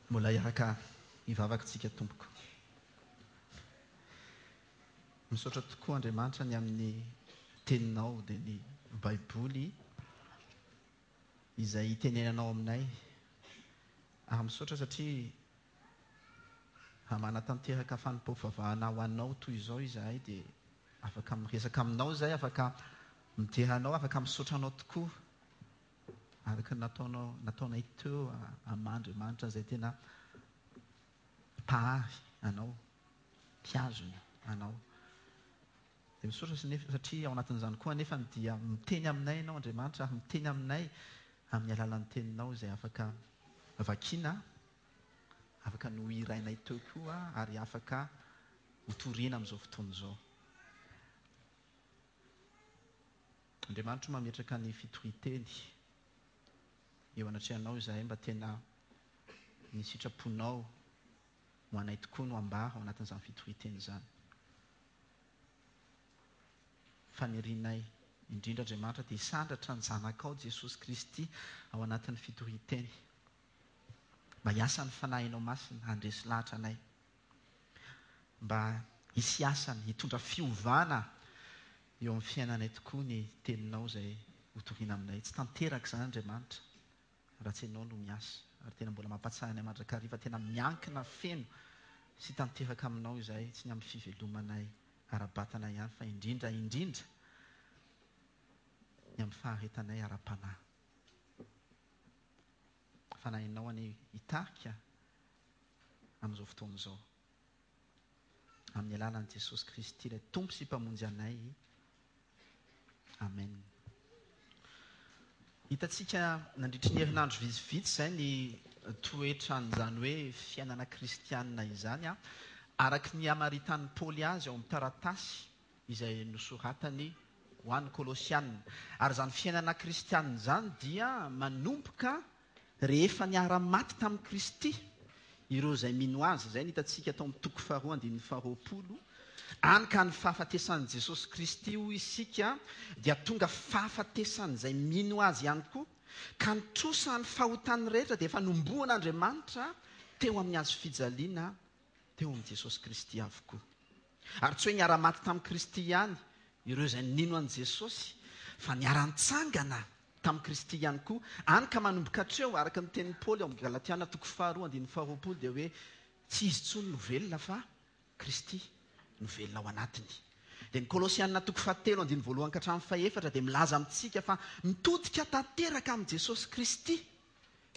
Mbola hiaraka hivavaka tsika tompoko. Misaotra tokoa Andriamanitra ny amin'ny teninao dia ny baiboly izay itenenanao aminay ary misaotra satria raha manatanteraka fanompoam-pivavahana ho anao toy izao izahay dia afaka miresaka aminao izahay, afaka midera anao, afaka misaotra anao tokoa araka ny nataonao nataonay teo amin'Andriamanitra izay tena Mpahary anao, mpihazona anao. Dia misaotra satria ao anatin'izany koa anefa dia miteny aminay Ianao Andriamanitra ary miteny aminay amin'ny alalan'ny Teninao izay afaka vakiana, afaka nohirainay teo koa ary afaka hotoriana amin'izao fotoana izao. Andriamanitro mametraka ny fitorian-teny eo anatrehanao izahay mba tena ny sitraponao ho anay tokoa no ambara ao anatin'izany fitorian-teny izany. Fanirianay indrindra Andriamanitra dia hisandratra ny Zanakao Jesosy Kristy ao anatin'ny fitorian-teny. Mba hiasa ny Fanahinao Masina handresy lahatra anay. Mba hisy asany hitondra fiovana eo amin'ny fiainanay tokoa ny teninao izay hotoriana aminay. Tsy tanteraka izany Andriamanitra raha tsy ianao no miasa. Ary tena mbola mampahatsiahy anay mandrakariva tena miankina feno sy tanteraka aminao izahay, tsy ny amin'ny fivelomanay ara-batana ihany fa indrindra indrindra ny amin'ny faharetanay ara-panahy. Fanahinao anie hitarika amin'izao fotoana izao. Amin'ny alalan'i Jesosy Kristy ilay Tompo sy Mpamonjy anay. Amen. Hitantsika nandritry ny herinandro vitsivitsy izay ny toetran'izany hoe fiainana kristianina izany, araka ny hamaritan'i Paoly azy ao amin'ny taratasy izay nosoratany ho an'ny Kolosiana. Ary izany fiainana kristianina izany dia manomboka Rehefa niara-maty tamin'i Kristy ireo izay mino Azy, izay no hitantsika tao amin'ny toko faharoa andininy faharoapolo, any ka ny fahafatesan'i Jesosy Kristy hoy isika dia tonga fahafatesan'izay mino Azy ihany koa, ka ny trosan'ny fahotany rehetra dia efa nomboan'Andriamanitra teo amin'ny hazo fijaliana teo amin'i Jesosy Kristy avokoa. Ary tsy hoe niara-maty tamin'i Kristy ihany ireo izay nino an'i Jesosy, fa niara-nitsangana tamin'i Kristy ihany koa, any ka manomboka hatreo, araka ny tenin'i Paoly ao amin'ny Galatiana toko faharoa andininy faharoapolo dia hoe tsy izy intsony no velona fa Kristy no velona ao anatiny. Dia ny Kolosiana toko fahatelo andininy voalohany ka hatramin'ny fahefatra dia milaza amintsika fa mitodika tanteraka amin'i Jesosy Kristy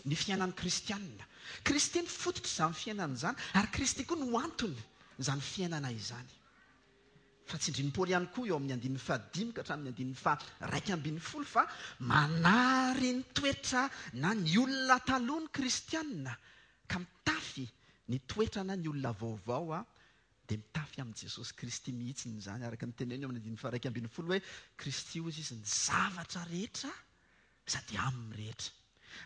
ny fiainan'ny kristiana. Kristy no fototr'izany fiainana izany ary Kristy koa no antony izany fiainana izany. Fa tsindrin'i Paoly ihany koa eo amin'ny andininy fahadimy ka hatramin'ny andininy faha-11 fa manary ny toetra na ny olona taloha ny kristiana ka mitafy ny toetra na ny olona vaovao dia mitafy amin'i Jesosy Kristy mihitsy izany araka ny teneny eo amin'ny andininy faha-11 hoe Kristy hozy izy ny zavatra rehetra sady aminy rehetra.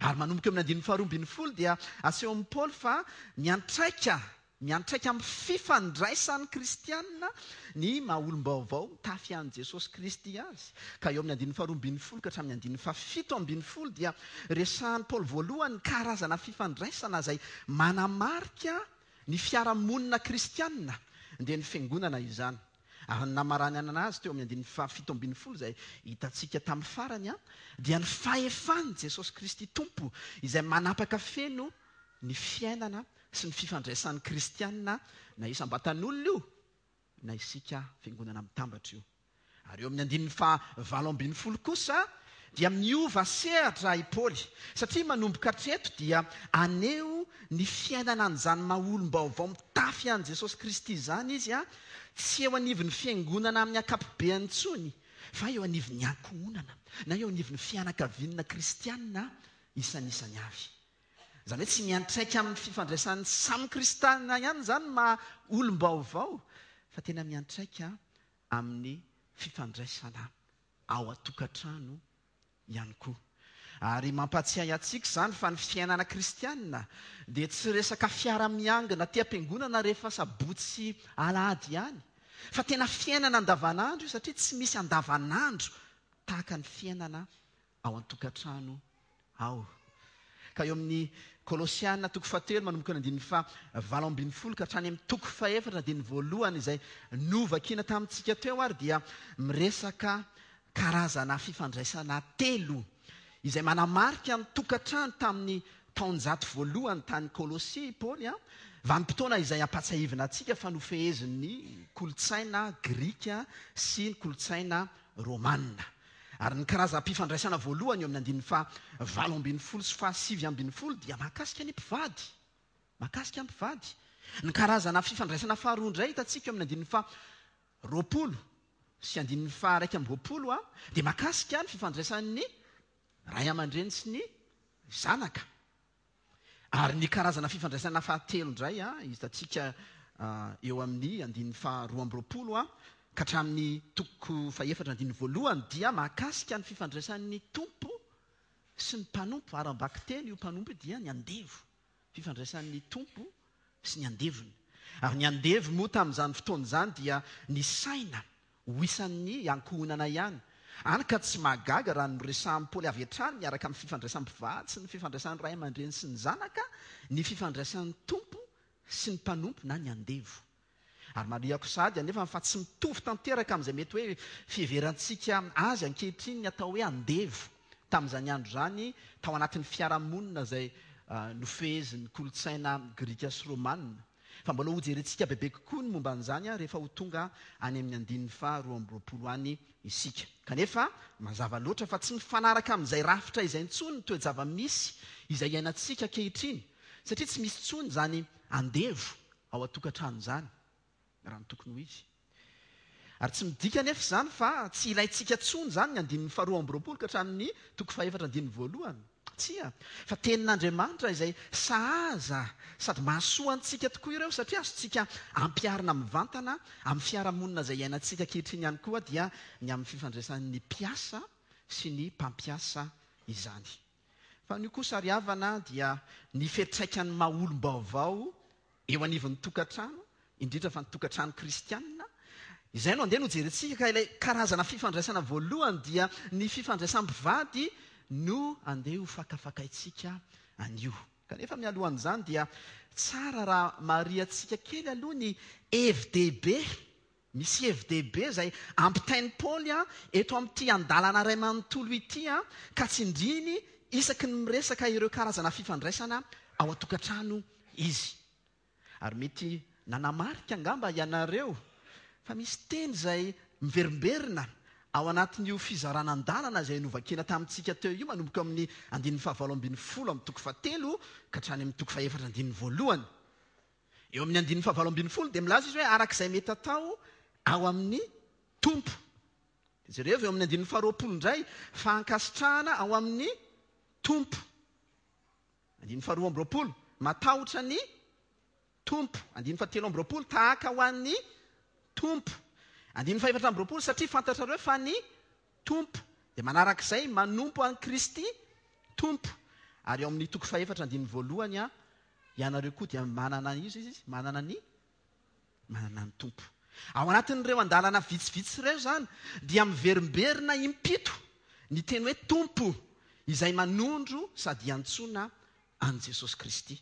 Ary manomboka eo amin'ny andininy faharoa ambinifolo dia asehon'i Paoly fa miantraika, miantraika amin'ny fifandraisan'ny kristiana ny maha olom-baovao mitafy an'i Jesosy Kristy azy. Ka eo amin'ny andininy faharoa ambinifolo ka hatramin'ny andininy fahafito ambinifolo dia resahan'i Paoly voalohany ny karazana fifandraisana izay manamarika ny fiarahamonina kristiana, dia ny fiangonana izany. Ary ny namaranana azy teo amin'ny andininy fahafito ambinifolo izay hitantsika tamin'ny farany dia ny fahefan'i Jesosy Kristy Tompo izay manapaka feno ny fiainana sy ny fifandraisan'ny kristiana na isam-batan'olona io na isika fiangonana mitambatra io. Ary eo amin'ny andininy faha 18 kosa dia miova sehatra i Paoly, satria manomboka hatreto dia haneho ny fiainana an'izany maha olom-baovao mitafy an'i Jesosy Kristy izany izy, tsy eo anivon'ny fiangonana amin'ny ankapobeany intsony, fa eo anivon'ny ankohonana, na eo anivon'ny fianakaviana kristiana isanisany avy. Izany hoe tsy miantraika amin'ny fifandraisan'ny samy kristiana ihany izany ny maha olom-baovao, fa tena miantraika amin'ny fifandraisana ao an-tokantrano ihany koa. Ary mampahatsiahy antsika izany fa ny fiainana kristiana dia tsy resaka fiara-miangona aty am-piangonana rehefa sabotsy sy alahady ihany, fa tena fiainana andavanandro io satria tsy misy andavanandro tahaka ny fiainana ao an-tokantrano ao. Ka eo amin'ny Kolosiana toko fahatelo manomboka ny andininy faha 18 ka hatrany amin'ny toko fahefatra andininy voalohany izay novakiana tamintsika teo ary dia miresaka karazana fifandraisana telo izay manamarika ny tokantrano tamin'ny taonjato voalohany tany Kolosia i Paoly, vanim-potoana izay ampahatsiahivina antsika fa nofehezin'ny kolontsaina grika sy ny kolontsaina romana. Ary ny karazam-pifandraisana voalohany eo amin'ny andininy faha 18 sy faha 19 dia mahakasika ny mpivady. Mahakasika ny mpivady. Ny karazana fifandraisana faharoa indray hitantsika eo amin'ny andininy faha 20 sy andininy faha 21 a, dia mahakasika ny fifandraisan'ny ray aman-dreny sy ny zanaka. Ary ny karazana fifandraisana fahatelo indray a, hitantsika eo amin'ny andininy faha 22 a, ka hatramin'ny toko fahefatra andininy voalohany dia mahakasika ny fifandraisan'ny tompo sy ny mpanompo. Ary am-bakiteny io mpanompo io dia ny andevo. Fifandraisan'ny tompo sy ny andevony. Ary ny andevo moa tamin'izany fotoana izany dia nisaina ho isan'ny ankohonana ihany. Hany ka tsy mahagaga raha noresahan'i Paoly avy hatrany miaraka amin'ny fifandraisan'ny mpivady sy ny fifandraisan'ny ray aman-dreny sy ny zanaka ny fifandraisan'ny tompo sy ny mpanompo na ny andevo. Ary marihako sahady anefa fa tsy mitovy tanteraka amin'izay mety hoe fiheverantsika azy ankehitriny ny atao hoe andevo tamin'izany andro izany tao anatin'ny fiarahamonina izay nofehezin'ny kolontsaina grika sy romana. Fa mbola hojerentsika bebe kokoa ny momba an'izany rehefa ho tonga any amin'ny andininy faha 22 any isika. Kanefa mazava loatra fa tsy mifanaraka amin'izay rafitra izay intsony ny toe-java-misy izay iainantsika ankehitriny satria tsy misy intsony izany andevo ao an-tokantrano izany, raha ny tokony ho izy. Ary tsy midika anefa izany fa tsy ilaintsika intsony izany ny andininy faharoa amby roapolo ka hatramin'ny toko fahefatra andininy voalohany. Tsia, fa tenin'Andriamanitra izay sahaza sady mahasoa antsika tokoa ireo satria azontsika ampiharina mivantana amin'ny fiarahamonina izay iainantsika ankehitriny ihany koa dia ny amin'ny fifandraisan'ny mpiasa sy ny mpampiasa izany. Fa anio kosa ry havana dia ny fiantraikan'ny maha olom-baovao eo anivon'ny tokantrano, indrindra fa ny tokantrano kristianina, izay no andeha no jerentsika ka ilay karazana fifandraisana voalohany dia ny fifandraisam-pivady no andeha ho fakafakaintsika anio. Kanefa mialohan'izany dia tsara raha marihantsika kely aloha ny hevi-dehibe Misy hevi-dehibe izay ampitain'i Paoly eto amin'ity andalana iray manontolo ity ka tsindriany isaky ny miresaka ireo karazana fifandraisana ao an-tokantrano izy. Ary mety nanamarika angamba ianareo fa misy teny izay miverimberina ao anatin'io fizarana andalana izay novakina tamintsika teo io manomboka amin'ny andininy fahavalo ambin'ny folo amin'ny toko fahatelo ka hatrany amin'ny toko fahefatra andininy voalohany. Eo amin'ny andininy fahavalo ambin'ny folo dia milaza izy hoe araka izay mety atao ao amin'ny Tompo. Dia jereo eo amin'ny andininy faharoapolo indray fa ankasitrahana ao amin'ny Tompo. Andininy faharoa amby roapolo, matahotra ny Tompo. Andininy fahatelo amby roapolo, tahaka ho an'ny Tompo. Andininy fahefatra amby roapolo, satria fantatrareo fa ny Tompo. Dia manarak'izay, manompo an'i Kristy Tompo. Ary ao amin'ny toko fahefatra andininy voalohany, ianareo koa dia manana iza izy? Manana ny manana ny Tompo. Ao anatin'ireo andalana vitsivitsy ireo izany dia miverimberina impito ny teny hoe Tompo izay manondro sady iantsoana an'i Jesosy Kristy.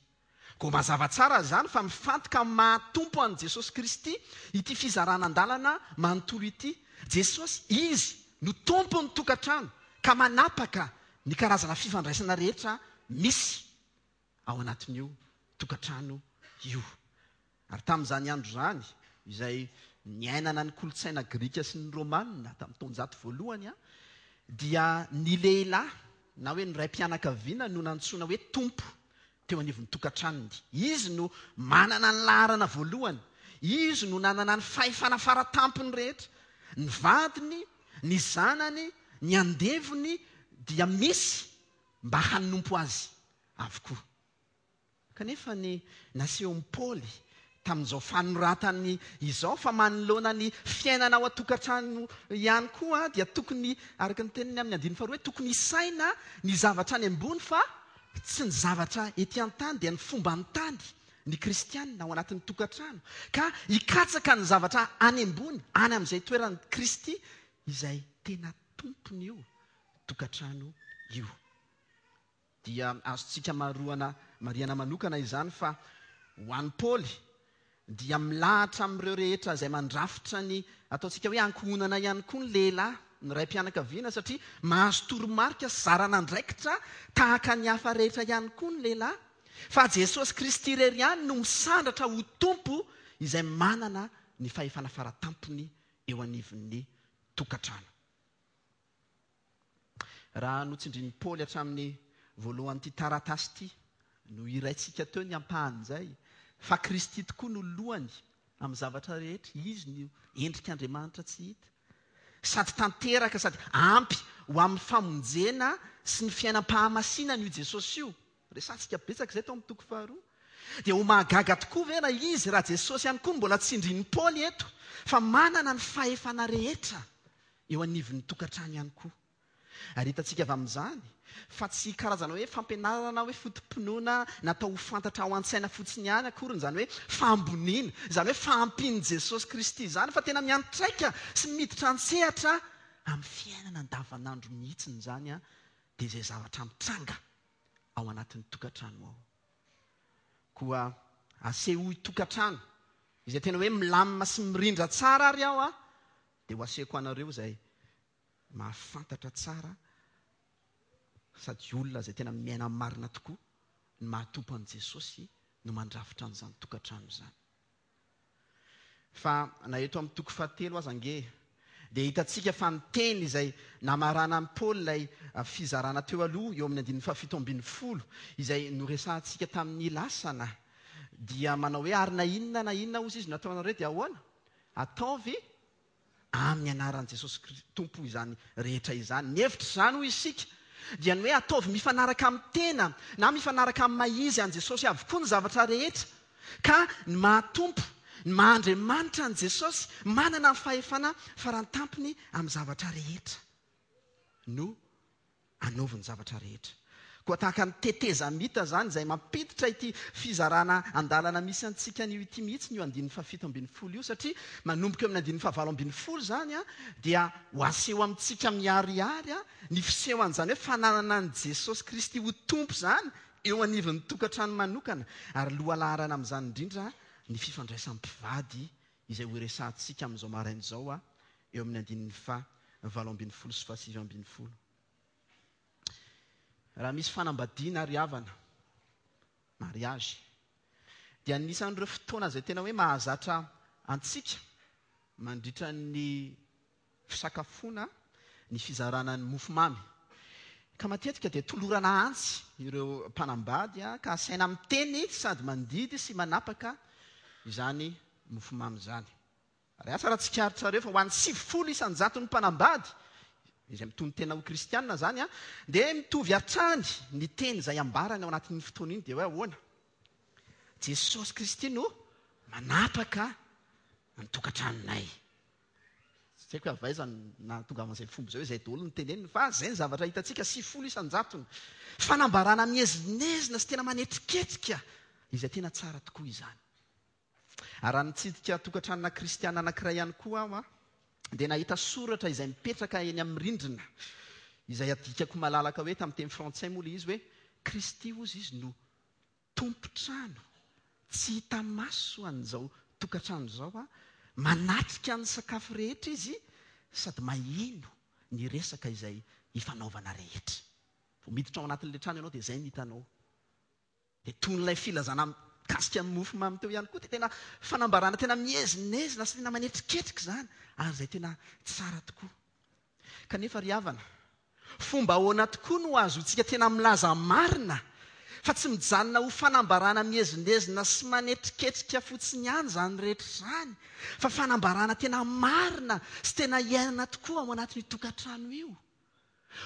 Koa mazava tsara izany fa mifantoka amin'ny maha Tompo an'i Jesosy Kristy ity fizarana andalana manontolo ity. Jesosy, Izy no Tompon'ny tokantrano ka manapaka ny karazana fifandraisana rehetra misy ao anatin'io tokantrano io. Ary tamin'izany andro izany, izay niainana ny kolontsaina grika sy ny romana tamin'ny taonjato voalohany, dia ny lehilahy na hoe ny raim-pianakaviana no nantsoina hoe tompo teo anivon'ny tokantranony. Izy no manana ny laharana voalohany. Izy no nanana ny fahefana faratampony rehetra. Ny vadiny, ny zanany, ny andevony dia misy mba hanompo azy avokoa. Kanefa ny nasehon'i Paoly tamin'izao fanoratany izao fa manoloana ny fiainana ao an-tokantrano ihany koa dia tokony, araka ny teniny amin'ny andininy faharoa hoe tokony hisaina ny zavatra any ambony fa tsy ny zavatra ety an-tany dia ny fomban-tany ny kristianina ao anatin'ny tokantrano ka hikatsaka ny zavatra any ambony any amin'izay toeran'i Kristy izay tena tompon'io tokantrano io. Dia azontsika maroana marihana manokana izany fa ho an'i Paoly dia milahatra amin'ireo rehetra izay mandrafitra ny ataontsika hoe ankohonana ihany koa ny lehilahy, ny raim-pianakaviana satria mahazo toromarika sy zaran'andraikitra tahaka ny hafa rehetra ihany koa ny lehilahy. Fa Jesosy Kristy irery ihany no misandratra ho Tompo izay manana ny fahefana faratampony eo anivon'ny tokantrano. Raha notsindrin'i Paoly hatramin'ny voalohan'ity taratasy ity, nohiraintsika teo ny ampahan'izay, fa Kristy tokoa no lohany amin'ny zavatra rehetra, Izy no endrik'Andriamanitra tsy hita. Sady tanteraka sady ampy ho amin'ny famonjena sy ny fiainam-pahamasinana io Jesosy io. Resahantsika betsaka izay tao amin'ny toko faharoa. Dia ho mahagaga tokoa ve raha izy, raha Jesosy ihany koa no mbola tsindrin'i Paoly eto, fa manana ny fahefana rehetra eo anivon'ny tokantrano ihany koa. Ary hitantsika avy amin'izany fa tsy karazana hoe fampianarana hoe foto-pinoana natao ho fantatra ao an-tsaina fotsiny ihany akory izany hoe fahamboniana, izany hoe fahampian'i Jesosy Kristy izany fa tena miantraika sy miditra an-tsehatra amin'ny fiainana andavanandro mihitsy izany dia izay zavatra mitranga ao anatin'ny tokantrano ao. Koa asehoy tokantrano izay tena hoe milamina sy mirindra tsara ary aho dia ho asehoko anareo izay mahafantatra tsara sady olona izay tena miaina marina tokoa ny maha-Tompo an'i Jesosy no mandrafitra an'izany tokantrano izany. Fa na eto amin'ny toko fahatelo aza ange dia hitantsika fa ny teny izay namaranan'i Paoly ilay fizarana teo aloha eo amin'ny andininy fahafito ambin'ny folo izay noresahantsika tamin'ny lasana dia manao hoe ary na inona na inona hozy izy no ataonareo dia ahoana? Ataovy amin'ny anaran'i Jesosy Tompo izany rehetra izany. Ny hevitr'izany hoy isika dia ny hoe ataovy mifanaraka amin'ny tena na mifanaraka amin'ny maha izy an'i Jesosy avokoa ny zavatra rehetra ka ny maha Tompo, ny maha Andriamanitra an'i Jesosy manana ny fahefana farantampony amin'ny zavatra rehetra no anaovy ny zavatra rehetra. Koa tahaka ny tetezamita izany izay mampiditra ity fizarana andalana misy antsika anio ity mihitsy io andininy fahafito ambin'ny folo io satria manomboka eo amin'ny andininy fahavalo ambin'ny folo izany dia ho aseho amintsika miharihary ny fisehoan'izany hoe fananana an'i Jesosy Kristy ho Tompo izany eo anivon'ny tokantrano manokana ary lohalaharana amin'izany indrindra ny fifandraisan'ny mpivady izay horesahantsika amin'izao maraina izao eo amin'ny andininy faha 18 sy faha 19. Raha misy fanambadiana ry havana, mariage, dia anisan'ireo fotoana izay tena hoe mahazatra antsika mandritra ny fisakafoana ny fizarana ny mofomamy. Ka matetika dia tolorana antsy ireo mpanambady ka asaina miteny sady mandidy sy manapaka izany mofomamy izany. Ary asa raha tsikaritrareo fa ho an'ny 90 isan-jaton'ny mpanambady, izay mitonon-tena ho kristiana izany, dia mitovy hatrany ny teny izay ambarany ao anatin'iny fotoana iny, dia hoe ahoana? Jesosy Kristy no manapaka ny tokantranonay. Tsy haiko hoe avy aiza no nahatongavan'izay fomba izay hoe izay daholo no teneniny, fa izay ny zavatra hitantsika, 90 isan-jatony. Fanambarana miezinezina sy tena manetriketrika izay tena tsara tokoa izany. Ary raha nitsidika tokantranona kristiana anankiray ihany koa aho, dia nahita soratra izay mipetraka eny amin'ny rindrina, izay adikako malalaka hoe tamin'ny teny frantsay moa ilay izy hoe, Kristy hozy izy no tompon-trano tsy hita maso an'izao tokantrano izao, manatrika ny sakafo rehetra izy sady maheno ny resaka izay ifanaovana rehetra. Vao miditra ao anatin'ilay trano ianao dia izay no hitanao. Dia toy ilay filazana mikasika ny mofo mamy teo ihany koa dia tena fanambarana tena miezinezina sy tena manetriketrika izany ary izay tena tsara tokoa. Kanefa ry havana, fomba ahoana tokoa no ahazoantsika tena milaza marina fa tsy mijanona ho fanambarana miezinezina sy manetriketrika fotsiny ihany izany rehetra izany fa fanambarana tena marina sy tena iainana tokoa ao anatin'io tokantrano io?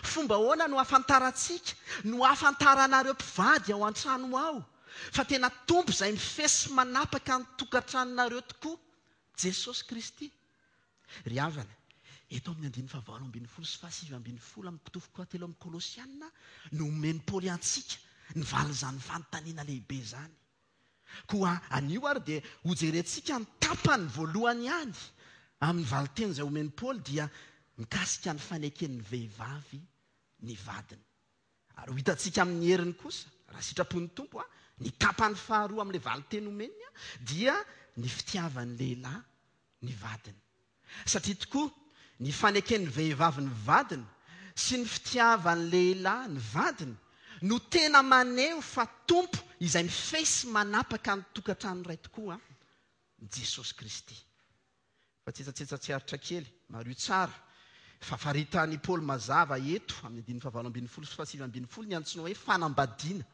Fomba ahoana no ahafantarantsika, no ahafantaranareo mpivady ao an-trano ao, fa tena Tompo izay mifehy sy manapaka ny tokantranonareo tokoa, Jesosy Kristy? Ry havana, eto amin'ny andininy fahavalo ambin'ny folo sy fahasivy ambin'ny folo amin'ny toko fahatelo amin'ny Kolosiana no omen'i Paoly antsika ny valin'izany fanontaniana lehibe izany. Koa anio ary dia hojerentsika ny tapany voalohany ihany amin'ny valinteny izay omen'i Paoly dia mikasika ny faneken'ny vehivavy ny vadiny. Ary ho hitantsika amin'ny heriny kosa, raha sitrapon'ny Tompo, ny tapany faharoa amin'ilay valin-teny omeny dia ny fitiavan'ny lehilahy ny vadiny. Satria tokoa, ny faneken'ny vehivavy ny vadiny sy ny fitiavan'ny lehilahy ny vadiny no tena maneho fa Tompo izay mifehy sy manapaka ny tokantrano iray tokoa Jesosy Kristy. Fa tsetsatsetsa tsy aritra kely, mariho tsara fa faritan'i Paoly mazava eto amin'ny andininy fahavalo ambin'ny folo sy fahasivy ambin'ny folo ny antsoina hoe fanambadiana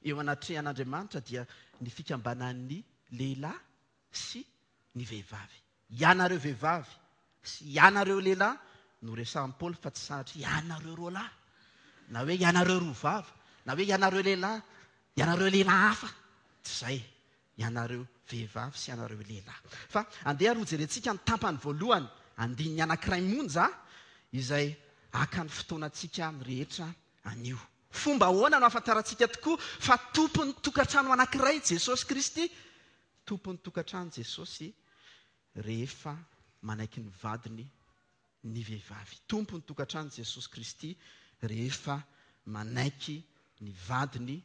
eo anatrehan'Andriamanitra dia ny fikambanan'ny lehilahy sy ny vehivavy. Ianareo vehivavy sy ianareo lehilahy no resahin'i Paoly fa tsy sanatria ianareo roalahy na hoe ianareo roa vava na hoe ianareo lehilahy, ianareo lehilahy hafa. Tsy izay. Ianareo vehivavy sy ianareo lehilahy. Fa andeha ary hojerentsika ny tapany voalohany, andininy anankiray monja, izay haka ny fotoanantsika rehetra anio. Fomba ahoana no ahafantarantsika tokoa fa tompon'ny tokantrano anankiray Jesosy Kristy? Tompon'ny tokantrano Jesosy rehefa manaiky ny vadiny ny vehivavy. Tompon'ny tokantrano Jesosy Kristy rehefa manaiky ny vadiny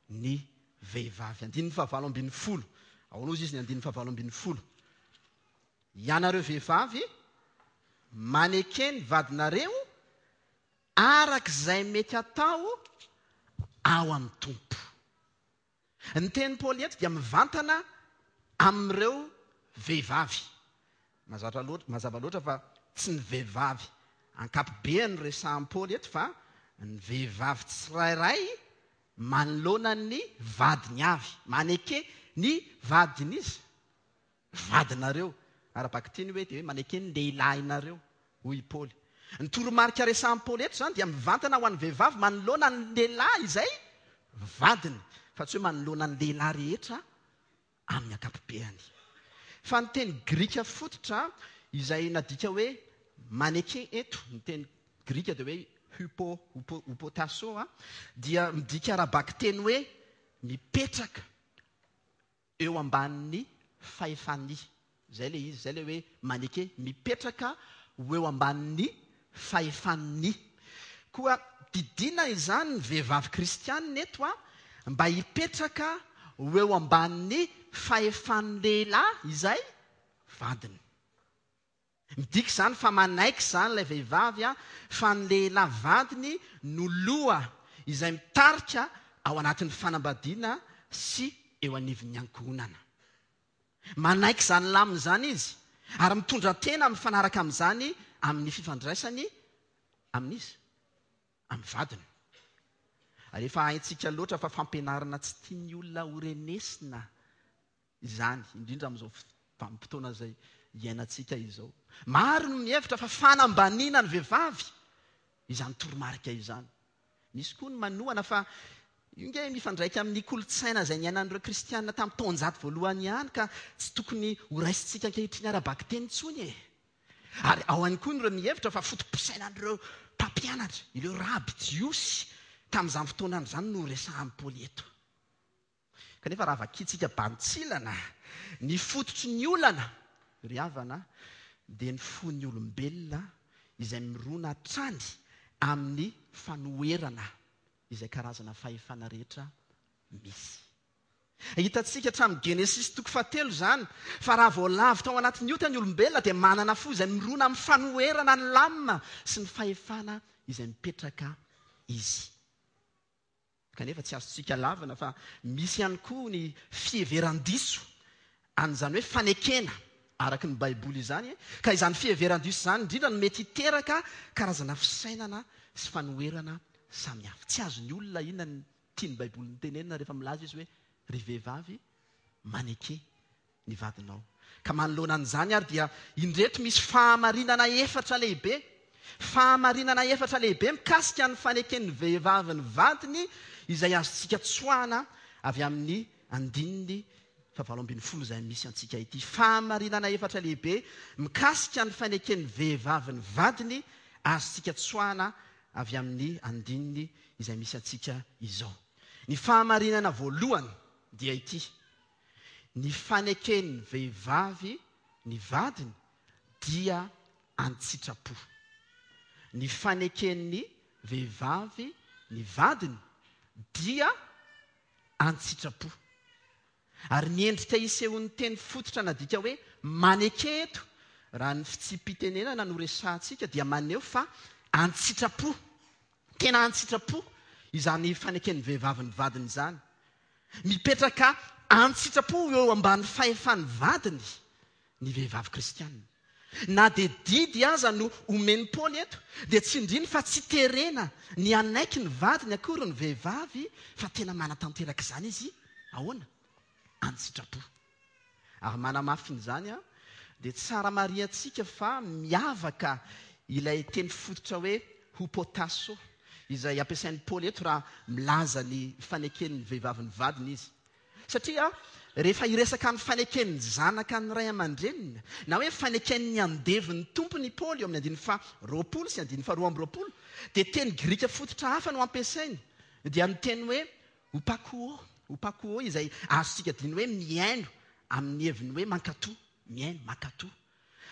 ny vehivavy. Andininy fahavalo ambin'ny folo. Ahoana hozy izy ny andininy fahavalo ambin'ny folo? Ianareo vehivavy, maneke ny vadinareo araka izay mety atao ao amin'ny Tompo. Ny tenin'i Paoly eto dia mivantana amin'ireo vehivavy. Mazatra loatra, mazava loatra fa tsy ny vehivavy ankapobeany no resahin'i Paoly eto fa ny vehivavy tsirairay manoloana ny vadiny avy. Maneke ny vadin'iza? Vadinareo. Ara-bakiteny hoe dia hoe maneke ny lehilahinareo, hoy i Paoly. Ny toromarika resahin'i Paoly eto izany dia mivantana ho an'ny vehivavy manoloana ny lehilahy izay vadiny, fa tsy hoe manoloana ny lehilahy rehetra amin'ny ankapobeany. Fa ny teny grika fototra izay nadika hoe maneke eto, ny teny grika dia hoe hupo, hupo, hupotasso, dia midika ara-bakiteny hoe mipetraka eo ambanin'ny fahefan'ny. Izay ilay izy, izay ilay hoe maneke, mipetraka ho eo ambanin'ny fahefan'ny. Koa didiana izany ny vehivavy kristianina eto mba hipetraka ho eo ambanin'ny fahefan'ny lehilahy izay vadiny. Midika izany fa manaiky izany ilay vehivavy fa ny lehilahy vadiny no loha izay mitarika ao anatin'ny fanambadiana sy eo anivon'ny ankohonana. Manaiky izany lamina izany izy ary mitondra tena mifanaraka amin'izany amin'ny fifandraisany amin'iza? Amin'ny vadiny. Ary efa haintsika loatra fa fampianarana tsy tian'ny olona horenesina izany, indrindra amin'izao vanim-potoana izay iainantsika izao. Maro no mihevitra fa fanambaniana ny vehivavy izany toromarika izany. Misy koa ny manohana fa io nge mifandraika amin'ny kolontsaina izay niainan'ireo kristiana tamin'ny taonjato voalohany ihany ka tsy tokony horaisintsika ankehitriny ara-bakiteny intsony e! Ary ao ihany koa ireo mihevitra fa foto-pisainan'ireo mpampianatra, ireo raby jiosy tamin'izany fotoana izany no resahan'i Paoly eto. Kanefa raha vakintsika bantsilana ny fototry ny olana, ry havana, dia ny fon'ny olombelona izay mirona hatrany amin'ny fanoherana izay karazana fahefana rehetra misy. Hitantsika hatramin'ny Genesisy toko fahatelo izany, fa raha vao lavo tao anatin'ny ota ny olombelona dia manana fo izay mirona amin'ny fanoherana ny lamina sy ny fahefana izay mipetraka izy. Kanefa tsy azontsika lavina fa misy ihany koa ny fiheveran-diso an'izany hoe fanekena araka ny Baiboly izany, ka izany fiheveran-diso izany indrindra no mety hiteraka karazana fisainana sy fanoherana samihafa. Tsy azon'ny olona inona ny tian'ny Baiboly notenenina rehefa milaza izy hoe, Ry vehivavy, maneke ny vadinao. Ka manoloana an'izany ary dia indreto misy fahamarinana efatra lehibe, fahamarinana efatra lehibe mikasika ny faneken'ny vehivavy ny vadiny izay azontsika tsoahana avy amin'ny andininy fahavalo ambin'ny folo izay misy antsika ity. Fahamarinana efatra lehibe mikasika ny faneken'ny vehivavy ny vadiny azontsika tsoahana avy amin'ny andininy izay misy antsika izao. Ny fahamarinana voalohany dia ity, Ny faneken'ny vehivavy ny vadiny dia an-tsitrapo. Ny faneken'ny vehivavy ny vadiny dia an-tsitrapo. Ary ny endrika isehoan'ny teny fototra nadika hoe maneke eto, raha ny fitsipi-pitenenana no resahantsika, dia maneho fa an-tsitrapo, tena an-tsitrapo izany faneken'ny vehivavy ny vadiny izany. Mipetraka an-tsitrapo eo ambany fahefan'ny vadiny ny vehivavy kristiana. Na dia didy aza no omen'i Paoly eto, dia tsindriny fa tsy terena ny hanaiky ny vadiny akory ny vehivavy fa tena manatanteraka izany izy, ahoana? An-tsitrapo. Ary manamafy an'izany, dia tsara marihantsika fa miavaka ilay teny fototra hoe hupotasso, izay ampiasain'i Paoly eto raha milaza ny faneken'ny vehivavy ny vadiny izy. Satria rehefa hiresaka ny faneken'ny zanaka ny ray aman-dreniny, na hoe faneken'ny andevo ny tompony i Paoly eo amin'ny andininy faha 20 sy andininy faha 22, dia teny grika fototra hafa no ampiasainy, dia ny teny hoe hupakuo, hupakuo, izay azontsika adino hoe mihaino amin'ny heviny hoe mankatò, mihaino, mankatò.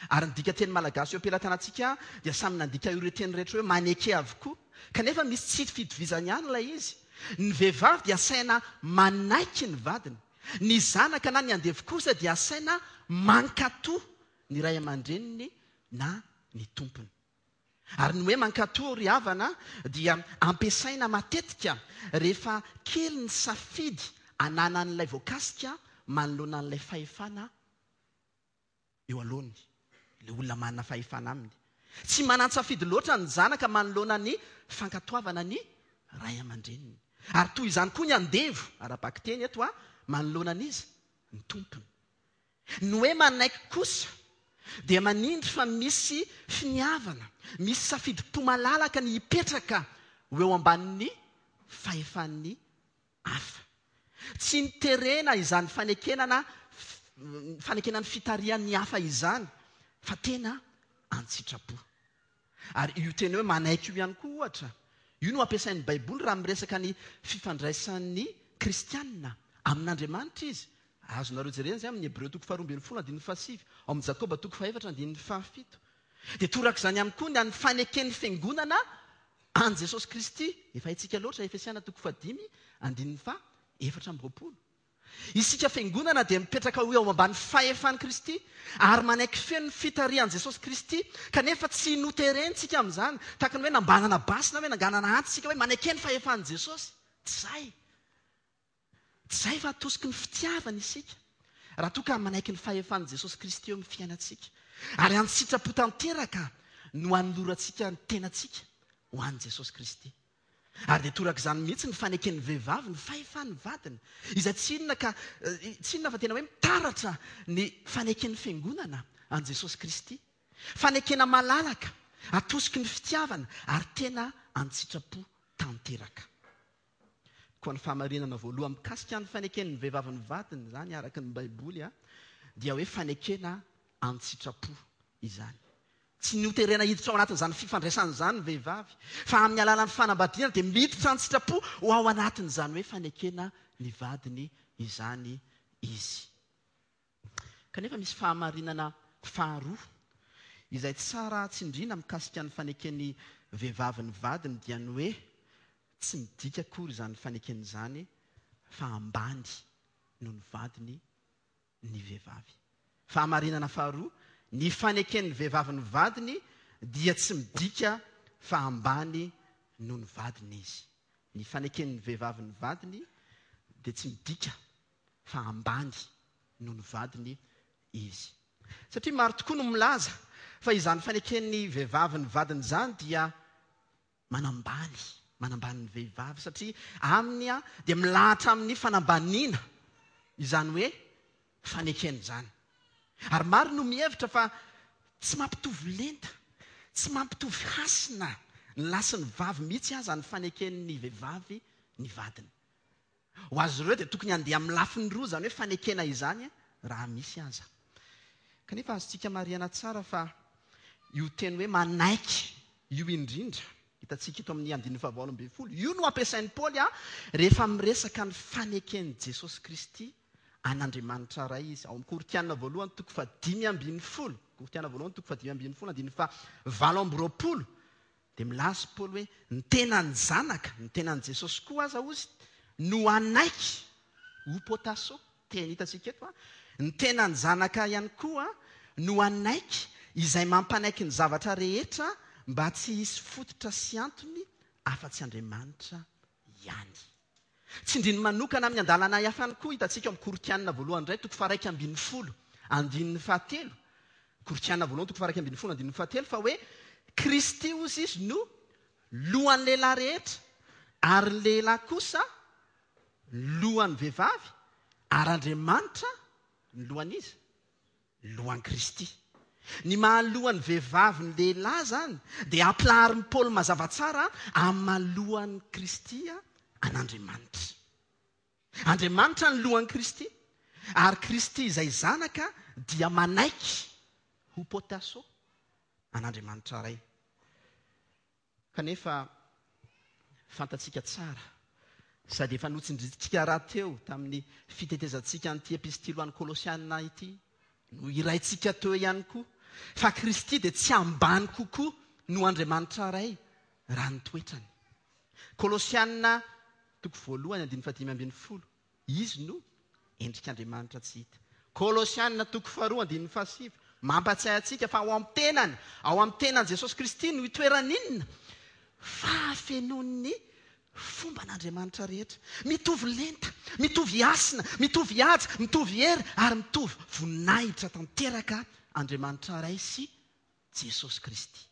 Ary ny dikanteny malagasy eo am-pelatanantsika dia samy nandika ireo teny rehetra hoe maneke avokoa. Kanefa misy tsy fitovizany ihany ilay izy. Ny vehivavy dia asaina manaiky ny vadiny. Ny zanaka na ny andevo kosa dia asaina mankatò ny ray aman-dreniny na ny tompony. Ary ny hoe mankatò ry havana dia ampiasaina matetika rehefa kely ny safidy ananan'ilay voakasika manoloana an'ilay fahefana eo alohany, ilay olona manana fahefana aminy. Tsy manan-tsafidy loatra ny zanaka manoloana ny fankatoavana ny ray aman-dreniny. Ary toy izany koa ny andevo, ara-bakiteny eto, manoloana an'iza? Ny tompony. Ny hoe manaiky kosa dia manindry fa misy finiavana, misy safidim-po malalaka ny hipetraka ho eo ambanin'ny fahefan'ny hafa. Tsy niterena izany fanekena na fanekena ny fitarihan'ny hafa izany fa tena an-tsitrapo. Ary io teny hoe manaiky io ihany koa ohatra, io no ampiasain'ny Baiboly raha miresaka ny fifandraisan'ny kristiana amin'Andriamanitra izy. Azonareo jerena izay amin'ny Hebreo toko faharoa ambin'ny folo andininy fahasivy, ao amin'ny Jakoba toko fahefatra andininy fahafito. Dia torak'izany ihany koa ny an'ny faneken'ny fiangonana an'i Jesosy Kristy, efa haintsika loatra, Efesiana toko fahadimy, andininy faha 24. Isika fiangonana dia mipetraka ho eo ambany fahefan'i Kristy ary manaiky feno ny fitarihan'i Jesosy Kristy, kanefa tsy noterentsika amin'izany, tahaka ny hoe nambanana basy na hoe nanganana antsy isika hoe maneke ny fahefan'i Jesosy. Tsy izay. Tsy izay fa atosiky ny fitiavana isika raha toa ka manaiky ny fahefan'i Jesosy Kristy eo amin'ny fiainantsika. Ary an-tsitrapo tanteraka no anolorantsika ny tenantsika ho an'i Jesosy Kristy. Ary dia torak'izany mihitsy ny faneken'ny vehivavy ny fahefan'ny vadiny, izay tsy inona ka tsy inona fa tena hoe mitaratra ny faneken'ny fiangonana an'i Jesosy Kristy. Fanekena malalaka, atosiky ny fitiavana ary tena an-tsitrapo tanteraka. Koa ny fahamarinana voalohany mikasika ny faneken'ny vehivavy ny vadiny izany araka ny Baiboly dia hoe fanekena an-tsitrapo izany. Tsy noterena hiditra ao anatin'izany fifandraisana izany ny vehivavy, fa amin'ny alalan'ny fanambadiana dia miditra an-tsitrapo ho ao anatin'izany hoe fanekena ny vadiny izany izy. Kanefa misy fahamarinana faharoa izay tsara tsindriana mikasika ny faneken'ny vehivavy ny vadiny dia ny hoe tsy midika akory izany fanekena izany fa ambany noho ny vadiny ny vehivavy. Fahamarinana faharoa, ny faneken'ny vehivavy ny vadiny dia tsy midika fa ambany noho ny vadiny izy. Ny faneken'ny vehivavy ny vadiny dia tsy midika fa ambany noho ny vadiny izy. Satria maro tokoa no milaza fa izany faneken'ny vehivavy ny vadiny izany dia manambany, manambany ny vehivavy satria aminy dia milahatra amin'ny fanambaniana izany hoe fanekena izany. Ary maro no mihevitra fa tsy mampitovy lenta, tsy mampitovy hasina ny lahy sy ny vavy mihitsy aza ny faneken'ny vehivavy ny vadiny. Ho azy ireo dia tokony handeha amin'ny lafiny roa izany hoe fanekena izany raha misy aza. Kanefa azontsika marihana tsara fa io teny hoe manaiky io indrindra, hitantsika eto amin'ny andininy fahavalo ambin'ny folo, io no ampiasain'i Paoly rehefa miresaka ny faneken'i Jesosy Kristy an'Andriamanitra Ray izy. Ao amin'ny Korintiana voalohany toko fahadimy ambin'ny folo, Korintiana voalohany toko fahadimy ambin'ny folo andininy fahavalo amby roapolo. Dia milaza i Paoly hoe ny tenan'ny Zanaka, ny tenan'i Jesosy koa aza hozy, no hanaiky, hupotasso, teny hitantsika eto, ny tenan'ny Zanaka ihany koa no hanaiky izay mampanaiky ny zavatra rehetra mba tsy hisy fototra sy antony afa-tsy Andriamanitra ihany. Tsindriny manokana amin'ny andalana hafa ihany koa hitantsika ao amin'ny Korintiana voalohany indray toko faha-11 andininy fahatelo. Korintiana voalohany toko faha-11 andininy fahatelo fa hoe Kristy hozy izy no lohan'ny lehilahy rehetra ary ny lehilahy kosa lohan'ny vehivavy ary Andriamanitra ny lohan'iza? Lohan'i Kristy. Ny maha lohan'ny vehivavy ny lehilahy izany dia ampilaharin'i Paoly mazava tsara amin'ny maha lohan'i Kristy an'Andriamanitra. Andriamanitra ny lohan'i Kristy, ary Kristy izay Zanaka dia manaiky ho potasso an'Andriamanitra Ray. Kanefa fantatsika tsara, sady efa notsindrintsika rahateo tamin'ny fitetezantsika an'ity epistily ho an'ny Kolosiana ity, nohiraintsika teo ihany koa, fa Kristy dia tsy ambany kokoa noho Andriamanitra Ray raha ny toetrany. Kolosiana toko voalohany andininy fahadimy ambin'ny folo, Izy no endrik'Andriamanitra tsy hita. Kolosiana toko faharoa andininy fahasivy, mampatsiahy antsika fa ao amin'ny tenany, ao amin'ny tenan'i Jesosy Kristy no itoeran'inona? Fahafenoan'ny fomban'Andriamanitra rehetra. Mitovy lenta, mitovy hasina, mitovy haja, mitovy hery ary mitovy voninahitra tanteraka Andriamanitra Ray sy Jesosy Kristy.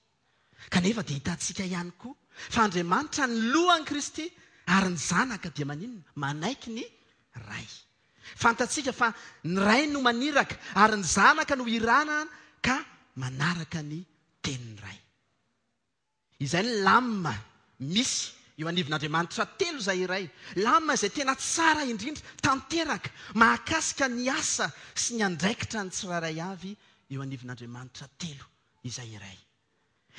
Kanefa dia hitantsika ihany koa fa Andriamanitra ny lohan'i Kristy ary ny Zanaka dia maninona? Manaiky ny Ray. Fantatsika fa ny Ray no maniraka ary ny Zanaka no irana ka manaraka ny tenin'ny Ray. Izay ny lamina misy eo anivon'Andriamanitra telo izay iray. Lamina izay tena tsara indrindra, tanteraka, mahakasika ny asa sy ny andraikitra ny tsirairay avy eo anivon'Andriamanitra telo izay iray.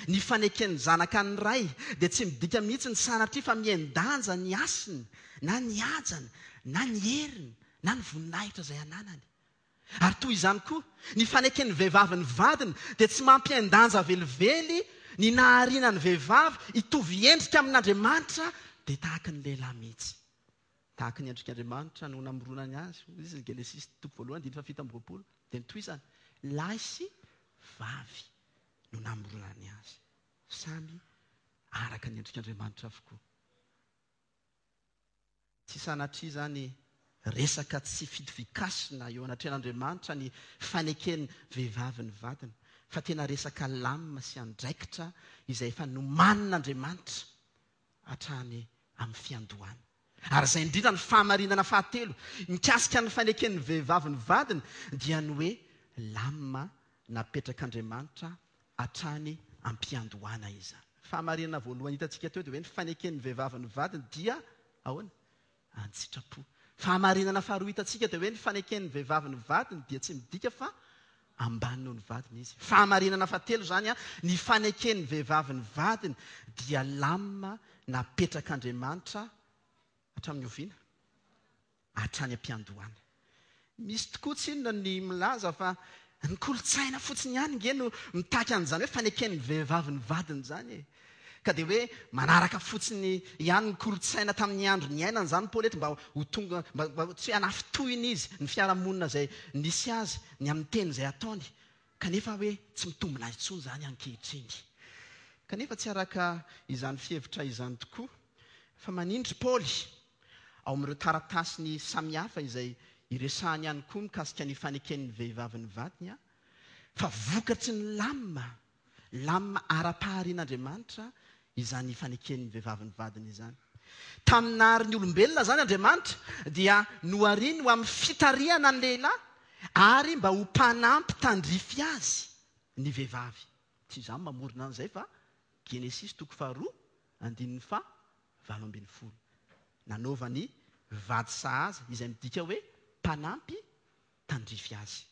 Ny faneken'ny Zanaka ny Ray dia tsy midika mihitsy ny sanatria fa mihen-danja ny hasiny na ny hajany na ny heriny na ny voninahitra izay ananany. Ary toy izany koa, ny faneken'ny vehivavy ny vadiny dia tsy mampihen-danja velively ny nahariana ny vehivavy hitovy endrika amin'Andriamanitra dia tahaka ny lehilahy mihitsy. Tahaka ny endrik'Andriamanitra no namoronany azy, hoy izy, Genesisy toko voalohany andininy fahafito amby roapolo. Dia notohizany, lahy sy vavy no namoronany azy. Samy araka ny endrik'Andriamanitra avokoa. Tsy sanatria izany resaka tsy fitovian-kasina eo anatrehan'Andriamanitra ny faneken'ny vehivavy ny vadiny, fa tena resaka lamina sy andraikitra izay efa nomanin'Andriamanitra hatrany amin'ny fiandohana. Ary izay indrindra ny fahamarinana fahatelo mikasika ny faneken'ny vehivavy ny vadiny dia ny hoe lamina napetrak'Andriamanitra hatrany am-piandohana izany. Fahamarinana voalohany hitantsika teo dia hoe ny faneken'ny vehivavy ny vadiny dia ahoana? An-tsitrapo. Fahamarinana faharoa hitantsika dia hoe ny faneken'ny vehivavy ny vadiny dia tsy midika fa ambany noho ny vadiny izy. Fahamarinana fahatelo izany, ny faneken'ny vehivavy ny vadiny dia lamina napetrak'Andriamanitra hatramin'ny oviana? Hatrany am-piandohana. Misy tokoa tsinona ny milaza fa ny kolontsaina fotsiny ihany nge no mitaky an'izany hoe faneken'ny vehivavy ny vadiny izany e. Ka dia hoe manaraka fotsiny ihany ny kolontsaina tamin'ny andro niainany izany Paoly eto mba ho tonga, mba tsy hoe hanafintohina izy ny fiarahamonina izay nisy azy ny amin'ny teny izay ataony. Kanefa hoe tsy mitombina intsony izany ankehitriny. Kanefa tsy araka izany fihevitra izany tokoa fa manindry Paoly ao amin'ireo taratasiny samihafa izay iresahany ihany koa mikasika ny faneken'ny vehivavy ny vadiny fa vokatry ny lamina Lamina ara-paharian'Andriamanitra izany faneken'ny vehivavy ny vadiny izany. Tamin'ny nahary ny olombelona izany Andriamanitra dia nohariny ho amin'ny fitarihana ny lehilahy ary mba ho mpanampy tandrify azy ny vehivavy. Tsy izaho no mamorona an'izay fa Genesisy toko faharoa andininy faha 18. Nanaovany vady sahaza izay midika hoe mpanampy tandrify azy.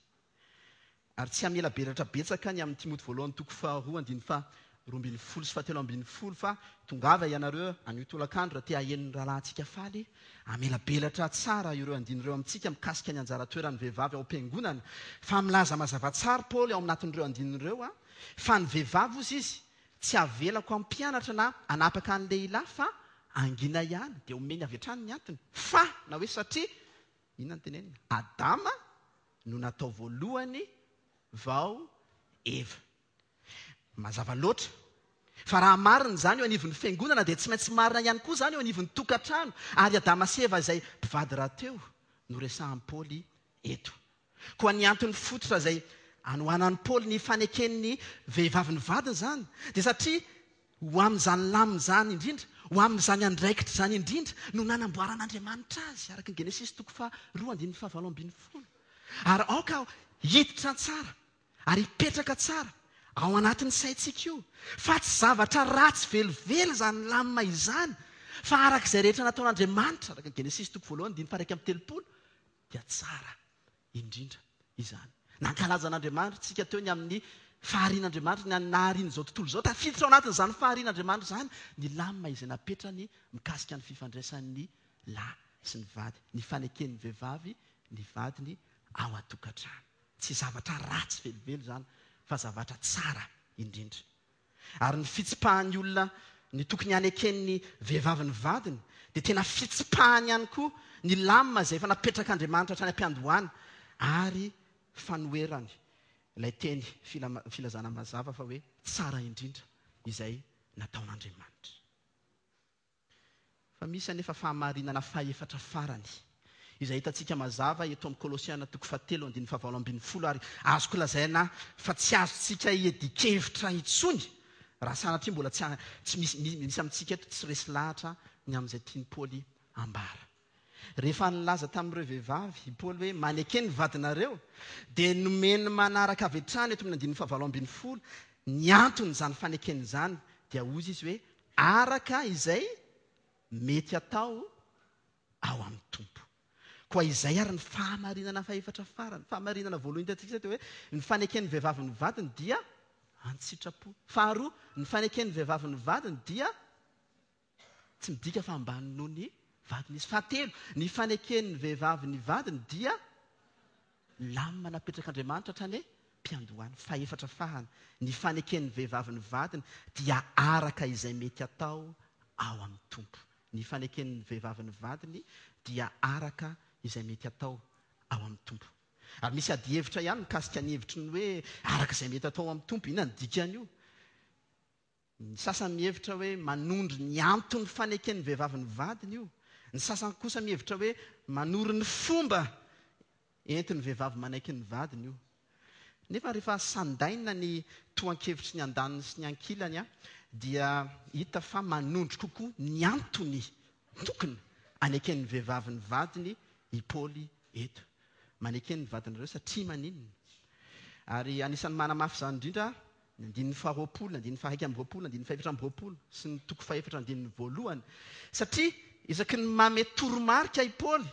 Ary tsy hamelabelatra betsaka ny amin'i Timoty voalohany toko faharoa andininy faha 12 sy faha 13 fa tongava ianareo anio tolakandro raha te haheno ny rahalahintsika faly hamelabelatra tsara ireo andininy ireo amintsika mikasika ny anjara toeran'ny vehivavy ao am-piangonana fa milaza mazava tsara Paoly ao anatin'ireo andininy ireo fa ny vehivavy hozy izy. Tsy avelako hampianatra na hanapaka ny lehilahy fa hangina ihany. Dia omeny avy hatrany ny antony. Fa, na hoe satria, inona no tenenina? Adama no natao voalohany vao Eva. Mazava loatra fa raha marina izany eo anivon'ny fiangonana dia tsy maintsy marina ihany koa izany eo anivon'ny tokantrano, ary Adama sy Eva izay mpivady rahateo no resahan'i Paoly eto. Koa ny antony fototra izay anohanan'i Paoly ny faneken'ny vehivavy ny vadiny izany dia satria ho amin'izany lamina izany indrindra, ho amin'izany andraikitra izany indrindra no nanamboaran'Andriamanitra azy, araka ny Genesisy toko faharoa andininy fahavalo ambin'ny folo. Ary aoka hiditra tsara ary hipetraka tsara ao anatin'ny saintsika io fa tsy zavatra ratsy velively izany lamina izany fa araka izay rehetra nataon'Andriamanitra, araka ny Genesisy toko voalohany andininy faha-31, dia tsara indrindra izany. Nankalaza an'Andriamanitra isika teo ny amin'ny faharian'Andriamanitra, ny naharian'izao tontolo izao. Tafiditra ao anatin'izany faharian'Andriamanitra izany ny lamina izay napetrany mikasika ny fifandraisan'ny lahy sy ny vady, ny faneken'ny vehivavy ny vadiny ao an-tokantrano. Tsy zavatra ratsy velively izany fa zavatra tsara indrindra. Ary ny fitsipahan'ny olona ny tokony haneken'ny vehivavy ny vadiny dia tena fitsipahany ihany koa ny lamina izay efa napetrak'Andriamanitra hatrany am-piandohana ary fanoherany ilay teny filazana mazava fa hoe tsara indrindra izay nataon'Andriamanitra. Fa misy anefa fahamarinana fahefatra farany, izay hitantsika mazava eto amin'ny Kolosiana toko fahatelo andininy fahavalo ambin'ny folo ary azoko lazaina fa tsy azontsika iadian-kevitra intsony raha sanatria mbola tsy tsy misy misy amintsika eto tsy resy lahatra ny amin'izay tian'i Paoly ambara. Rehefa nilaza tamin'ireo vehivavy i Paoly hoe maneke ny vadinareo, dia nomeny manaraka avy hatrany eto amin'ny andininy fahavalo ambin'ny folo ny anton'izany fanekena izany, dia hoy izy hoe araka izay mety atao ao amin'ny Tompo. Koa izay ary ny fahamarinana fahefatra farany. Fahamarinana voalohany hitantsika izay dia hoe ny faneken'ny vehivavy ny vadiny dia an-tsitrapo. Faharoa, ny faneken'ny vehivavy ny vadiny dia tsy midika fa ambany noho ny vadiny izy. Fahatelo, ny faneken'ny vehivavy ny vadiny dia Lamina napetrak'Andriamanitra hatrany am-piandohana. Fahefatra farany, ny faneken'ny vehivavy ny vadiny dia araka izay mety atao ao amin'ny Tompo. Ny faneken'ny vehivavy ny vadiny dia araka izay mety atao ao amin'ny Tompo. Ary misy adihevitra ihany mikasika ny hevitry ny hoe araka izay mety atao ao amin'ny Tompo. Inona no dikan'io? Ny sasany mihevitra hoe manondro ny anton'ny faneken'ny vehivavy ny vadiny io. Ny sasany kosa mihevitra hoe manoro ny fomba entin'ny vehivavy manaiky ny vadiny io. Nefa rehefa sandaina ny tohan-kevitry ny andaniny sy ny ankilany dia hita fa manondro kokoa ny antony tokony haneken'ny vehivavy ny vadiny i Paoly eto. Maneke ny vadinareo satria maninona? Ary anisan'ny manamafy izany indrindra ny andininy faharoapolo, ny andininy faha-iraika amby roapolo, ny andininy fahefatra amby roapolo sy ny toko fahefatra andininy voalohany. Satria isaky ny mame toromarika i Paoly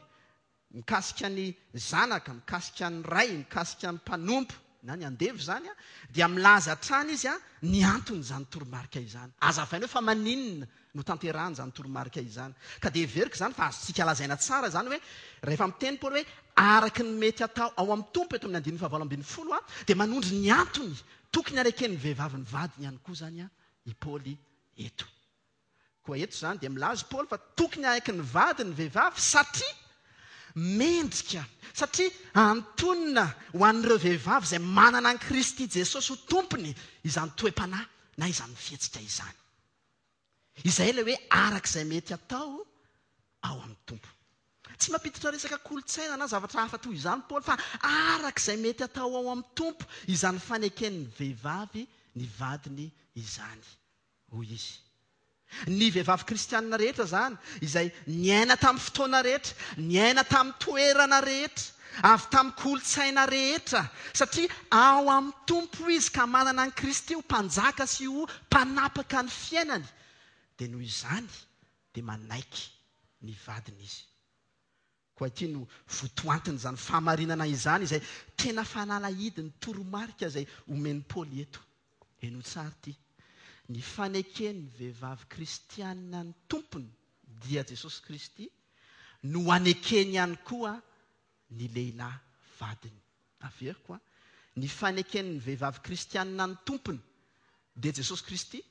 mikasika ny zanaka, mikasika ny ray, mikasika ny mpanompo na ny andevo izany, dia milaza hatrany izy ny anton'izany toromarika izany. Hazavainy hoe fa maninona no tanterahana izany toromarika izany. Ka dia heveriko izany fa azontsika lazaina tsara izany hoe rehefa miteny Paoly hoe araka ny mety atao ao amin'ny Tompo eto amin'ny andininy fahavalo ambin'ny folo dia manondro ny antony tokony haneken'ny vehivavy ny vadiny ihany koa izany i Paoly eto. Koa eto izany dia milaza i Paoly fa tokony hanaiky ny vadiny ny vehivavy satria mendrika, satria antonona ho an'ireo vehivavy izay manana an'i Kristy Jesosy ho Tompony izany toe-panahy na izany fihetsika izany. Izay ilay hoe araka izay mety atao ao amin'ny Tompo. Tsy mampiditra resaka kolontsaina na zavatra hafa toy izany Paoly fa araka izay mety atao ao amin'ny Tompo izany faneken'ny vehivavy ny vadiny izany, hoy izy. Ny vehivavy kristianina rehetra izany, izay niaina tamin'ny fotoana rehetra, niaina tamin'ny toerana rehetra, avy tamin'ny kolontsaina rehetra, satria ao amin'ny Tompo izy ka manana an'i Kristy ho Mpanjaka sy ho Mpanapaka ny fiainany, dia noho izany dia manaiky ny vadiny izy. Koa ity no votoantin'izany fahamarinana izany, izay tena fanalahidin'ny toromarika izay omen'i Paoly eto. Henoy tsara ity, Ny faneken'ny vehivavy kristiana ny Tompony, dia Jesosy Kristy, no anekeny ihany koa ny lehilahy vadiny. Averiko an, ny faneken'ny vehivavy kristianina ny Tompony, dia Jesosy Kristy,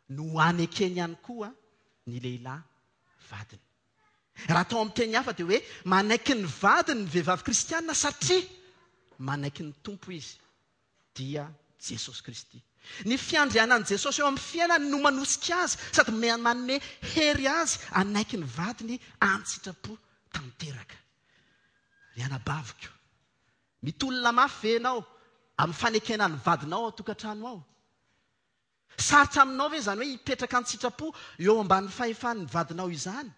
no anekeny ihany koa ny lehilahy vadiny. Raha atao amin'ny teny hafa dia hoe manaiky ny vadiny ny vehivavy kristiana satria manaiky ny Tompo izy, dia Jesosy Kristy. Ny fiandrianan'i Jesosy eo amin'ny fiainany no manosika azy sady manome hery azy hanaiky ny vadiny an-tsitrapo tanteraka. Ry anabaviko, mitolona mafy ve ianao amin'ny fanekena ny vadinao ao an-tokantrano ao? Sarotra aminao ve izany hoe hipetraka an-tsitrapo eo ambanin'ny fahefan'ny vadinao izany,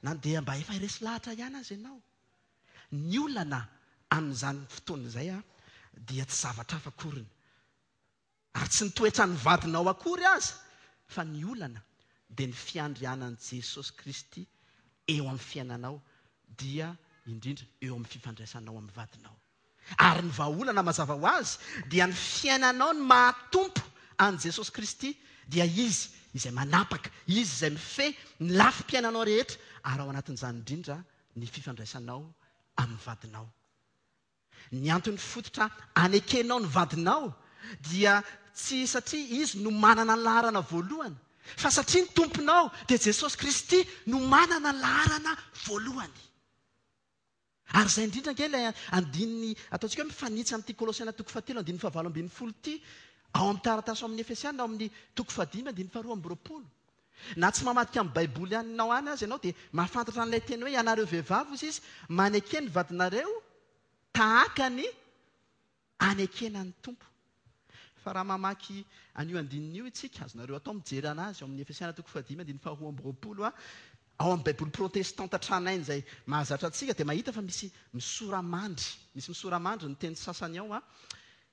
na dia mba efa resy lahatra ihany aza ianao? Ny olana amin'izany fotoana izay dia tsy zavatra hafa akoriny, ary tsy ny toetran'ny vadinao akory aza, fa ny olana dia ny fiandrianan'i Jesosy Kristy eo amin'ny fiainanao, dia indrindra eo amin'ny fifandraisanao amin'ny vadinao. Ary ny vahaolana mazava ho azy dia ny fiainanao ny maha Tompo an'i Jesosy Kristy dia Izy izay manapaka, Izy izay mifehy ny lafim-piainanao rehetra ary ao anatin'izany indrindra ny fifandraisanao amin'ny vadinao. Ny antony fototra anekenao ny vadinao dia tsy satria izy no manana ny laharana voalohany fa satria ny Tomponao dia Jesosy Kristy no manana ny laharana voalohany. Ary izay indrindra ange ilay andininy ataontsika hoe mifanitsy amin'ity Kolosiana toko fahatelo andininy fahavalo ambin'ny folo ity, ao amin'ny taratasy ao amin'ny Efesiana ao amin'ny toko fahadimy andininy faharoa amby roapolo. Na tsy mamadika amin'ny Baiboly anao any aza ianao dia mahafantatra an'ilay teny hoe ianareo vehivavy hozy izy maneke ny vadinareo tahaka ny anekena ny Tompo. Fa raha mamaky an'io andininy io isika, azonareo atao mijery an'azy ao amin'ny Efesiana toko fahadimy andininy faharoa amby roapolo, ao amin'ny Baiboly protestanta tranainy izay mahazatra antsika dia mahita fa misy misoramandry, misy misoramandry ny teny sasany ao,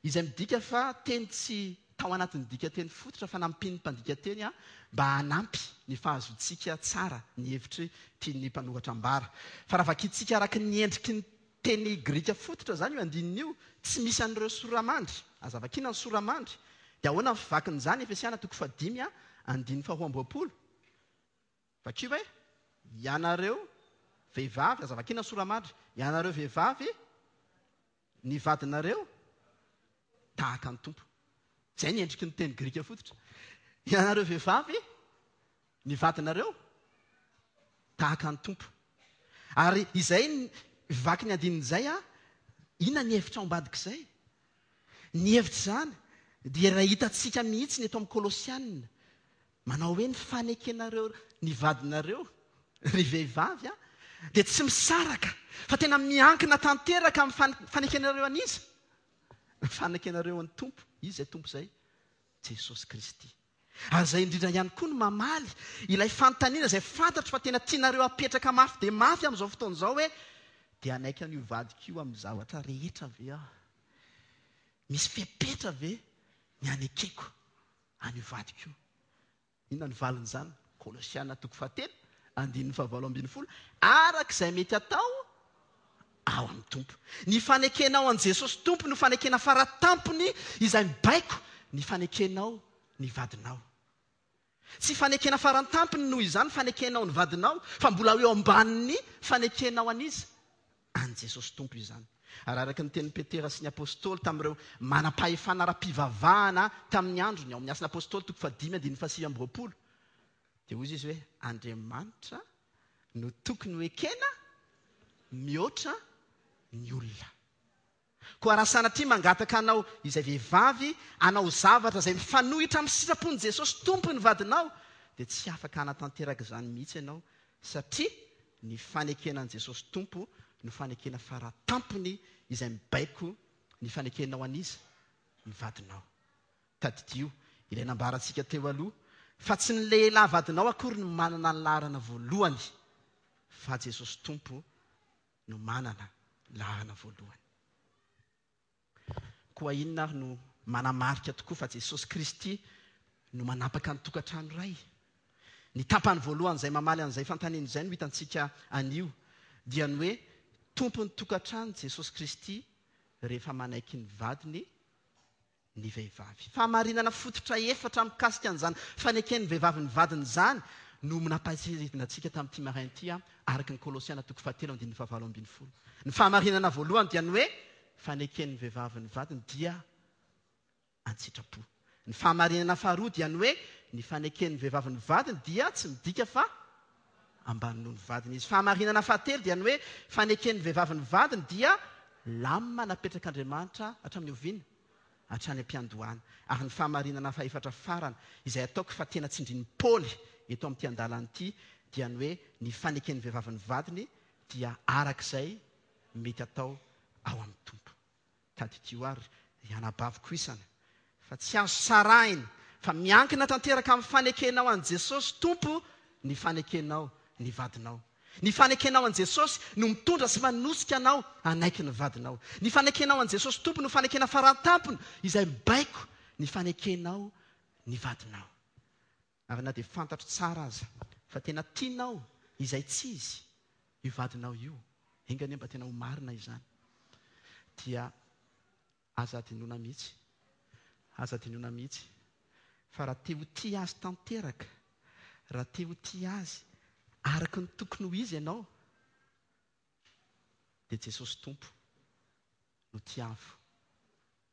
izay midika fa teny tsy tao anatin'ny dikanteny fototra fa nampian'ny mpandika teny mba hanampy ny fahazoantsika tsara ny hevitry tian'ny mpanoratra ambara. Fa raha vakintsika araka ny endriky ny Teny grika fototra izany io andininy io, tsy misy an'ireo soramandry. Aza vakiana ny soramandry. Dia ahoana ny fivakin'izany? Efesiana toko fahadimy andininy faharoa amby roapolo. Vakio hoe, Ianareo vehivavy, aza vakiana ny soramandry, ianareo vehivavy, ny vadinareo tahaka ny Tompo. Izay ny endriky ny teny grika fototra. Ianareo vehivavy, ny vadinareo tahaka ny Tompo. Ary izay vaky ny andininy izay a, inona ny hevitra ao ambadik'izay? Ny hevitr'izany dia raha hitantsika mihitsy ny eto amin'ny Kolosiana, manao hoe ny fanekenareo ny vadinareo, ry vehivavy a, dia tsy misaraka fa tena miankina tanteraka amin'ny fanekenareo an'iza? Ny fanekenareo an'ny Tompo. Iza izay Tompo izay? Jesosy Kristy. Ary izay indrindra ihany koa no mamaly ilay fanontaniana izay fantatro fa tena tianareo hapetraka mafy dia mafy amin'izao fotoana izao hoe, Dia hanaiky an'io vadiko io amin'ny zavatra rehetra ve aho? Misy fepetra ve ny hanekeko an'io vadiko io? Inona no valin'izany? Kolosiana toko fahatelo, andininy fahavalo ambin'ny folo, Araka izay mety atao ao amin'ny Tompo. Ny fanekenao an'i Jesosy Tompo no fanekena faratampony izay mibaiko ny fanekenao ny vadinao. Tsy fanekena farantampony noho izany fanekenao ny vadinao fa mbola eo ambanin'ny fanekenao an'iza? An'i Jesosy Tompo izany. Ary araka ny tenin'i Petera sy ny Apostoly tamin'ireo manam-pahefana ara-pivavahana tamin'ny androny, ao amin'ny Asan'ny Apostoly toko fahadimy andininy fahasivy amby roapolo, dia hoy izy hoe, Andriamanitra no tokony ho ekena mihoatra ny olona. Koa raha sanatria mangataka anao izay vehivavy hanao zavatra izay mifanohitra amin'ny sitrapon'i Jesosy Tompo ny vadinao, dia tsy afaka hanatanteraka izany mihitsy ianao, satria ny fanekena an'i Jesosy Tompo no fanekena fara tampony izay mibaiko ny fanekenao an'iza? Ny vadinao. Tadidio ilay nambarantsika teo aloha fa tsy ny lehilahy vadinao akory no manana ny laharana voalohany fa Jesosy Tompo no manana laharana voalohany. Koa inona ary no manamarika tokoa fa Jesosy Kristy no manapaka ny tokantrano iray? Ny tapany voalohany izay mamaly an'izay fanontaniana izay no hitantsika anio, dia ny hoe tompon'ny tokantrano Jesosy Kristy rehefa manaiky ny vadiny ny vehivavy. Fahamarinana fototra efatra mikasika an'izany faneken'ny vehivavy ny vadiny izany no nampahatsiahivina antsika tamin'ity maraina ity, araka ny Kolosiana toko fahatelo andininy fahavalo ambin'ny folo. Ny fahamarinana voalohany dia ny hoe faneken'ny vehivavy ny vadiny dia an-tsitrapo. Ny fahamarinana faharoa dia ny hoe ny faneken'ny vehivavy ny vadiny dia tsy midika fa ambany noho ny vadiny izy. Fahamarinana fahatelo dia ny hoe faneken'ny vehivavy ny vadiny dia lamina napetrak'Andriamanitra hatramin'ny oviana? Hatrany am-piandohana. Ary ny fahamarinana fahefatra farany, izay ataoko fa tena tsindrin'i Paoly eto amin'ity andalana ity, dia ny hoe ny faneken'ny vehivavy ny vadiny dia arak'izay mety atao ao amin'ny Tompo. Tadidio àry, ry anabaviko isany, fa tsy azo sarahina fa miankina tanteraka amin'ny fanekenao an'i Jesosy Tompo ny fanekenao ny vadinao. Ny fanekenao an'i Jesosy no mitondra sy manosika anao hanaiky ny vadinao. Ny fanekenao an'i Jesosy Tompo no fanekena farantampony izay mibaiko ny fanekenao ny vadinao. Ary na dia fantatro tsara aza fa tena tianao izay tsy izy io vadinao io, enga anie mba tena ho marina izany, dia aza adinoina mihitsy, aza adinoina mihitsy fa raha te ho tia azy tanteraka, raha te ho tia azy araka ny tokony ho izy ianao, dia Jesosy Tompo no tiavo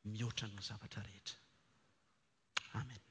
mihoatra noho ny zavatra rehetra. Amen.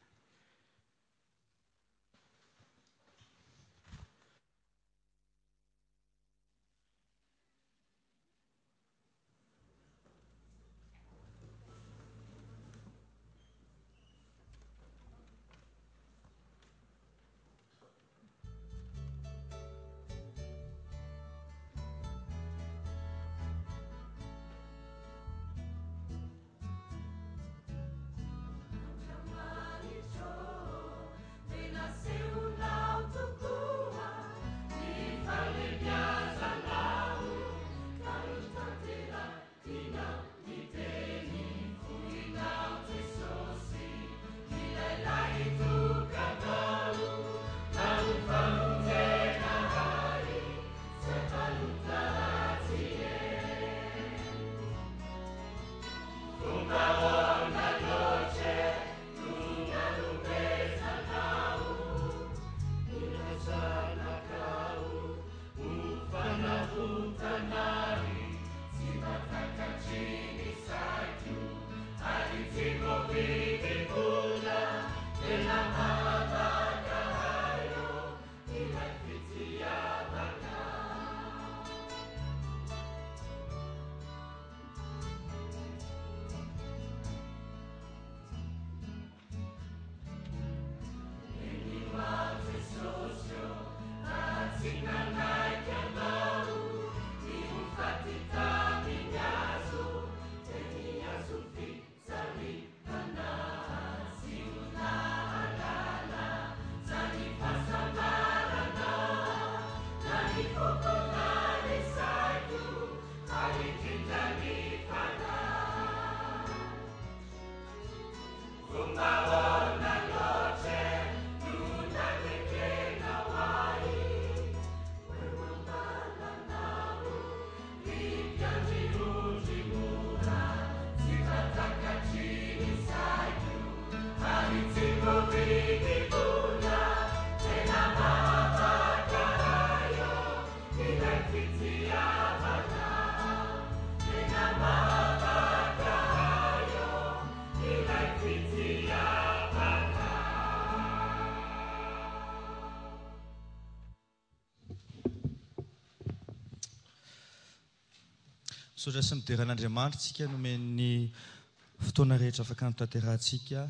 Misaotra sy midera an'Andriamanitra isika nomen'ny fotoana rehetra afaka notanterahantsika.